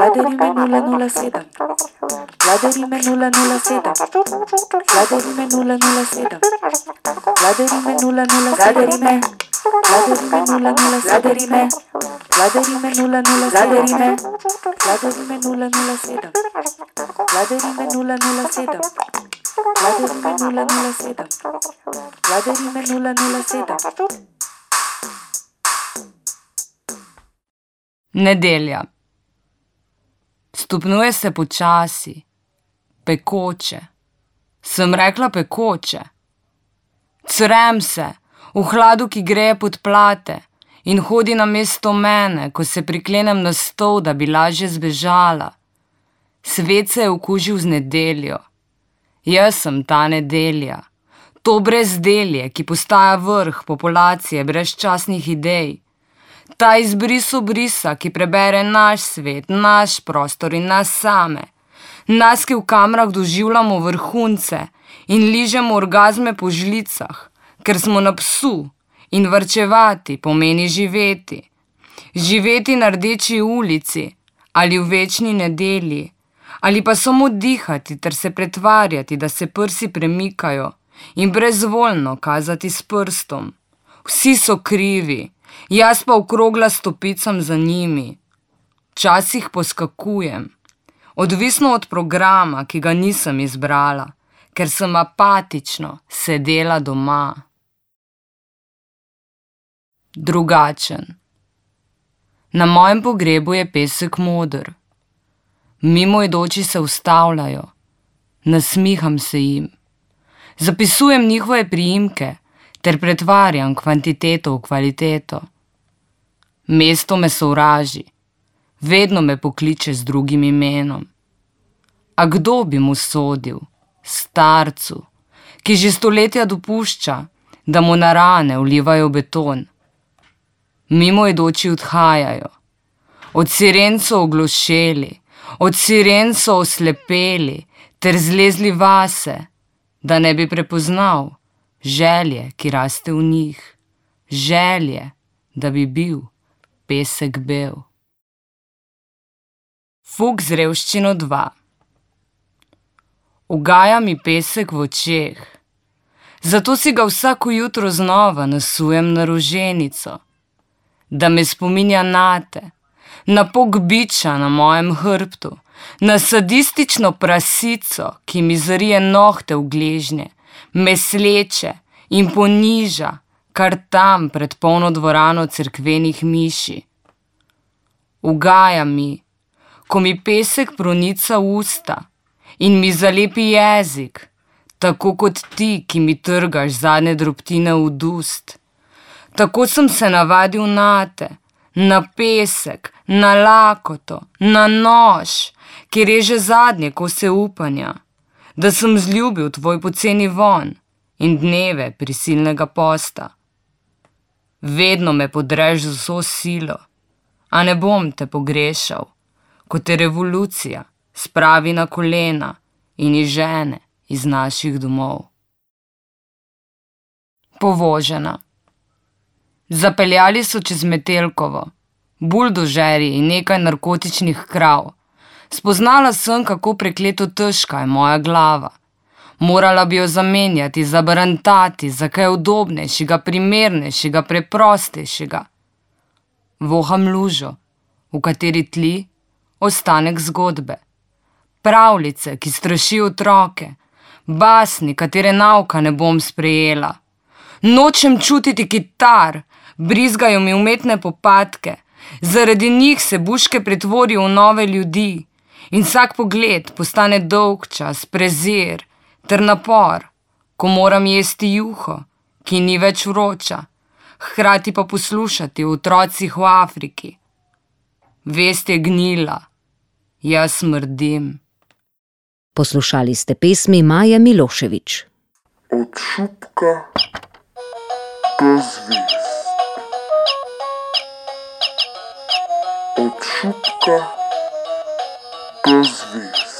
Vladarime 007. Vladarime 007. Vladarime 007. Vladarime 007. Vladarime 007. Vladarime 007. Vladarime 007. Vladarime 007. Vladarime 007. Vladarime 007. Nedelja. Stopnjuje se počasi, pekoče. Sem rekla pekoče. Crem se, v hladu, ki greje pod plate in hodi namesto mene, ko se priklenem na stol, da bi lažje zbežala. Svet se je okužil z nedeljo. Jaz sem ta nedelja. To brezdelje, ki postaja vrh populacije brezčasnih idej. Ta izbris obrisa, ki prebere naš svet, naš prostor in nas same. Nas, ki v kamerah doživljamo vrhunce in ližemo orgazme po žlicah, ker smo na psu in varčevati pomeni živeti. Živeti na Rdeči ulici ali v večni nedelji, ali pa samo dihati ter se pretvarjati, da se prsi premikajo in brezvoljno kazati s prstom. Vsi so krivi. Jaz pa okrogla stopicam za njimi. Včasih poskakujem, odvisno od programa, ki ga nisem izbrala, ker sem apatično sedela doma. Drugačen. Na mojem pogrebu je pesek moder. Mimoidoči se ustavljajo. Nasmiham se jim. Zapisujem njihove priimke ter pretvarjam kvantiteto v kvaliteto. Mesto me sovraži, vedno me pokliče z drugim imenom. A kdo bi mu sodil? Starcu, ki že stoletja dopušča, da mu na rane vlivajo beton. Mimoidoči odhajajo. Od siren so oglošeli, od siren so oslepeli ter zlezli vase, da ne bi prepoznal želje, ki raste v njih, želje, da bi bil pesek bel. Fuk z revščino 2. Ugaja mi pesek v očeh, zato si ga vsako jutro znova nasujem na roženico, da me spominja nate, na pok biča na mojem hrbtu, na sadistično prasico, ki mi zarije nohte v gležnje, me sleče in poniža, kar tam pred polno dvorano cerkvenih miši. Ugaja mi, ko mi pesek pronica usta in mi zalepi jezik, tako kot ti, ki mi trgaš zadnje drobtine v ust. Tako sem se navadil nate, na pesek, na lakoto, na nož, ki reže zadnje kose upanja, da sem zljubil tvoj poceni von in dneve prisilnega posta. Vedno me podreš z vso silo, a ne bom te pogrešal, ko te revolucija spravi na kolena in izžene iz naših domov. Povožena. Zapeljali so čez Metelkovo, buldožerji in nekaj narkotičnih krav. Spoznala sem, kako prekleto težka je moja glava. Morala bi jo zamenjati, zabarantati za kaj udobnejšega, primernejšega, preprostejšega. Voham lužo, v kateri tli ostanek zgodbe. Pravljice, ki strašijo otroke, basni, katere nauka ne bom sprejela. Nočem čutiti kitar, brizgajo mi umetne popadke, zaradi njih se buške pretvorijo v nove ljudi in vsak pogled postane dolgčas, prezir ter napor, ko moram jesti juho, ki ni več vroča, hkrati pa poslušati o otrocih v Afriki. Vest je gnila, jaz smrdim. Poslušali ste pesmi Maje Milošević. Od šupka do zvezd. Od šupka do zvezd.